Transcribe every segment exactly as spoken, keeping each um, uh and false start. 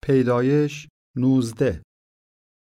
پیدایش نوزده.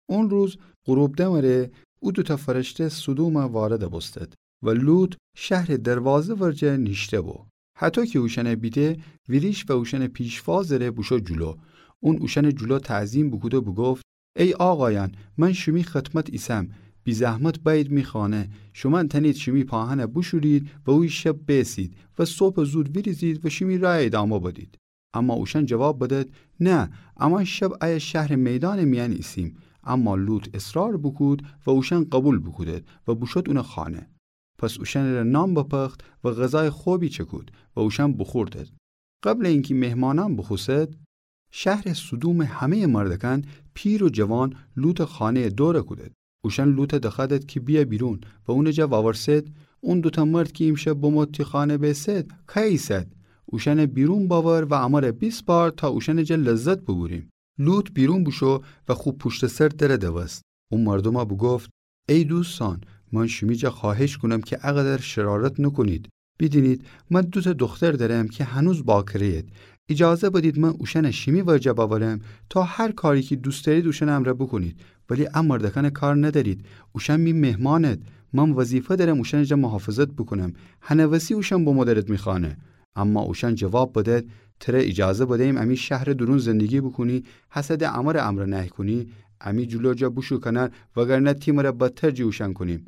اون روز غروب دمره او دوتأ فرشته سدومَ وارد بوستد و لوط شهرٚ دروازه ورجه نیشته بو. هطو کی اوشأنَ بیده، ویریش و اوشأنٚ پیشوازٚ ره بوشو جلو. اون اوشأنٚ جلو تعظیم بوکوده بوگفت: ای آقایأن، من شیمی خدمت ایسم، بی‌زحمت بأیید می خانه. شومأن تأنید شیمی پاهنَ بوشورید و اویه شب بیسید و صبحٚ زود ویریزید و شیمی رأیَ ادامه بدید. اما اوشأن جواب بدد: نه، امأن شب ایه شهرٚ میدانٚ میأن ایسیم. اما لوط اصرار بوکود و اوشأن قوبیل بوکودد و بوشود اونٚ خانه. پس اوشأنٚ ره نان بپخت و غذایٚ خوبی چکود و اوشأن بوخوردد. قبلٚ اینکی مهمانأن بوخوسد، شهرٚ سدومٚ همه‌یٚ مردکأن، پیر و جوان، لوطٚ خانه‌یَ دورَ کودد. اوشأن لوطَ دخوأدد کی بیه بیرون و اونٚ جا وورسد: اون دوتأ مرد کی ایمشب بمو تی خانه بیسد، کأی ایسد؟ اوشأنَ بیرون بأور و امره بیسپار تا اوشأنٚ جا لذت بوبوریم. لوط بیرون بوشو و خو پوشتٚ سر درَ دوست. او مردومَ بوگفت: ای دوستأن، من شیمی جا خوأهش کونم کی اقدر شرارت نوکونید. بیدینید، من دوتأ دوختر دأرم کی هنوز باکره‌ید. ایجازه بدید من اوشأنَ شیمی ورجه بأورم تا هر کاری کی دوست دأرید اوشأنٚ امرأ بوکونید. ولی ا مردکأنٚ کار ندأرید. اوشأن می مهمانید. من وظیفه دأرم اوشأنٚ جا محافظت بوکونم. هنٚ وسی اوشأن بمو دأرد می خانه. اما اوشأن جواب بدد: تره ایجازه بدییم امی شهرٚ دورون زندگی بوکونی، هسه ده امرأ امر نهی کونی؟ امی جلو جا بوشو کنار، وگرنه تی مره بدتر جٚه اوشأن کونیم.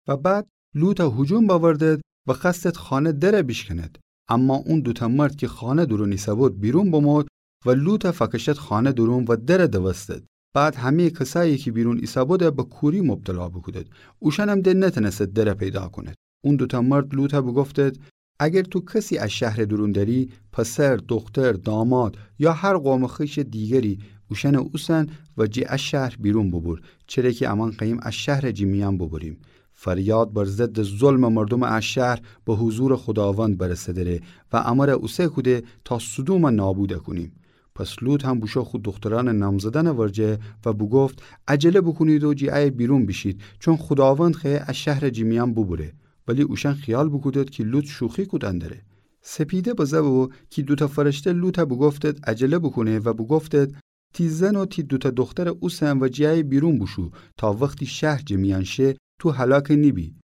و بعد لوطَ هجوم بأوردد و خوأستد خانه درَ بیشکند. اما اون دوتأ مرد کی خانه دورون ایسه‌بود بیرون بمود و لوطَ فأکشتد خانه دورون و درَ دوستد. بعد همه‌یٚ کسأیی کی بیرون ایسه‌بودَ به کوری مبتلا بوکودد. اوشأنم ده نتأنستد درَ پیدا کونید. اون دوتأ مرد لوطَ بوگفتد: اگر تو کسی ا شهرٚ دورون دأری، پسر، دوختر، داماد یا هر قومٚ خویشٚ دیگری، اوشأنَ اوسن و جٚه ا شهر بیرون بوبور، چره کی امأن خوأییم ا شهرَ جٚه میأن بوبوریم. فریاد بر ضدٚ ظلمٚ مردومٚ ا شهر به حضورٚ خوداوند برسه دره و امره اوسه کوده تا سدومَ نابود کونیم. پس لوط هم بوشو خو دوخترأنٚ نامزدأنٚ ورجه و بوگفت: عجله بوکونید و جٚه ایه بیرون بیشید، چون خوداوند خوأیه ا شهرَ جٚه میأن بوبوره. ولی اوشأن خیال بوکودد کی لوط شوخی کودن دره. سپیده بزه بو کی دوتأ فرشته لوطَ بوگفتد عجله بوکونه و بوگفتد: تی زن و تی دوتأ دوخترَ اوسن و جٚه ایه بیرون بوشو تا وختی شهر جٚه میأن شه تو هلاک نیبی.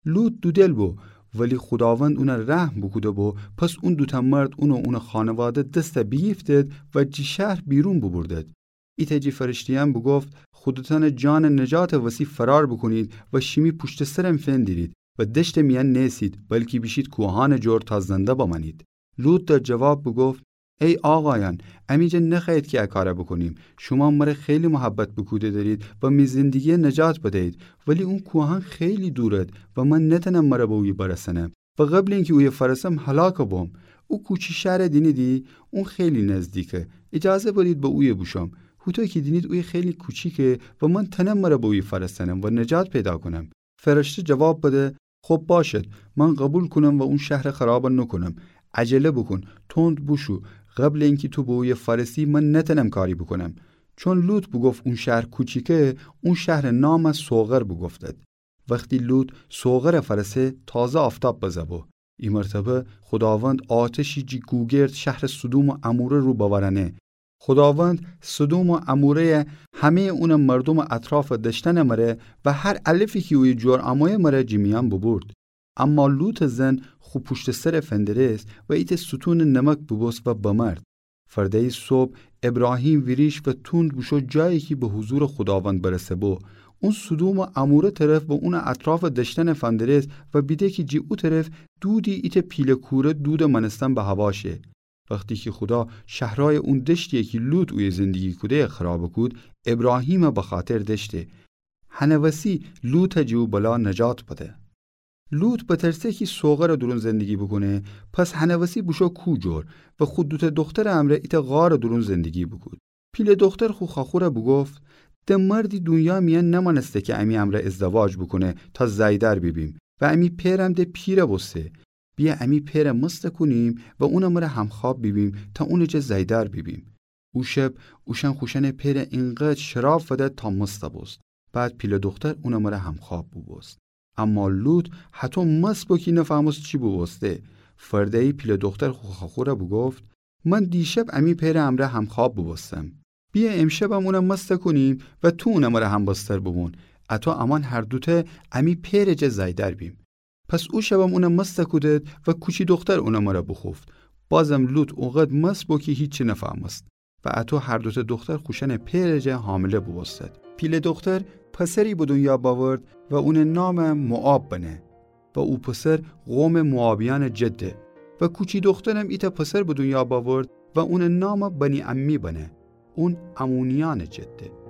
لوط دودل بو، ولی خوداوند اونَ رحم بوکوده بو، پس اون دوتأ مرد اون و اونٚ خانواده دستَ بیگیفتد و جٚه شهر بیرون بوبوردد. ایتأ جٚه فرشته‌یأن بوگفت: خودتأنٚ جانٚ نجاتٚ وسی فرار بوکونید و شیمی پوشتٚ سرم فندیرید و دشتٚ میأن نیسید، بلکی بیشید کوهأنٚ جور تا زنده بمأنید. لوط در جواب بوگفت: ای آقایأن، امی جا نخوأیید کی ا کارَ بوکونیم. شومأن مره خیلی محبت بوکوده دأرید و می زندگیَ نجات بدیید، ولی اون کوهأن خیلی دورد و من نتأنم مره به اویه برسنم و قبلٚ اینکی اویه فرسم هلاک بوم. او کوچی شهرَ دینیدی؟ اون خیلی نزدیکه. ایجازه بدید به اویه بوشوم. هوطو کی دینید اویه خیلی کوچیکه و من تأنم مره به اویه فرسنم و نجات پیدا کونم. فرشته جواب بده: خب باشد، من قوبیل کونم و اون شهرَ خرابَ نوکونم. عجله بوکون، تند بوشو، قبلٚ اینکی تو به اویه فرسی من نتأنم کاری بوکونم. چون لوط بوگفت اون شهر کوچیکه، اون شهرٚ نامَ صغر بوگفتد. وختی لوط صغرَ فرسه، تازه آفتاب بزه بو. ای مرتبه خوداوند آتشی جٚه گوگرد شهرٚ سدوم و عموره رو بأورأنه. خوداوند سدوم و عموره‌یَ، همه‌یٚ اونٚ مردومٚ اطرافٚ دشتنٚ مره و هر علفی کی اویه جور أمویه مره جٚه میأن بوبورد. اما لوطٚ زن خو پوشتٚ سرَ فندرست و ایتأ ستونٚ نمک بوبوست و بمرد. فردأیی صبح ابراهیم ویریش و توند بوشو جایی کی به حضورٚ خوداوند برسه بو. اون سدوم و عموره طرف و اونٚ اطرافٚ دشتنَ فندرست و بیده کی جٚه او طرف دودی ایتأ پیله کوره دودٚ مأنستن به هوا شه. وختی کی خودا شهرأیٚ اون دشتی‌یَ کی لوط اویه زندگی کوده‌یَ خرابَ کود، ابراهیمَ بخاطر دأشته. هنٚ وسی لوطَ جٚه او بلا نجات بده. لوط بترسه کی صغرٚ دورون زندگی بوکونه، پس هنٚ وسی بوشو کوه جور و خو دوتأ دوخترٚ امرأ ایتأ غارٚ دورون زندگی بوکود. پیله دوختر خو خواخورَ بوگفت: ده مردی دونیا میأن نمأنسته کی امی امرأ ازدواج بوکونه تا زأیدار بیبیم و امی پئرم ده پیرَ بوسته. بیه امی پئرَ مستَ کونیم و اونٚ مره همخواب بیبیم تا اونٚ جا زأیدار بیبیم. او شب اوشأن خوشأنٚ پئرَ اینقدر شراب فدد تا مستَ بوست. بعد پیله دوختر اونٚ مره همخواب بوبوست. اما لوط هطو مست بو کی نفهمست چی بوبوسته. فردأیی پیله دوختر خو خواخورَ بوگفت: من دیشب امی پئرٚ امرأ همخواب بوبوستم. بیه امشبم اونَ مست کونیم و تو اونٚ مرا همبستر بوبون، اطو امأن هر دوتأ امی پئرٚ جا زأیدأر بیم. پس او شبم اونَ مست کودد و کوچی دوختر اونٚ مرا بوخوفت. بازم لوط اوقدر مست بو کی هیچی نفهمست. و اطو هر دوتأ دوختر خوشأنٚ پئرٚ جا حامله بوبوستد. پیله دوختر پسری به دونیا بأورد و اونٚ نام موآب بنه. و او پسر قومٚ موآبیأنٚ جده. و کوچی دوخترم ایتأ پسر به دونیا بأورد و اونٚ نام بنی‌عمی بنه. اون عمونیأنٚ جده.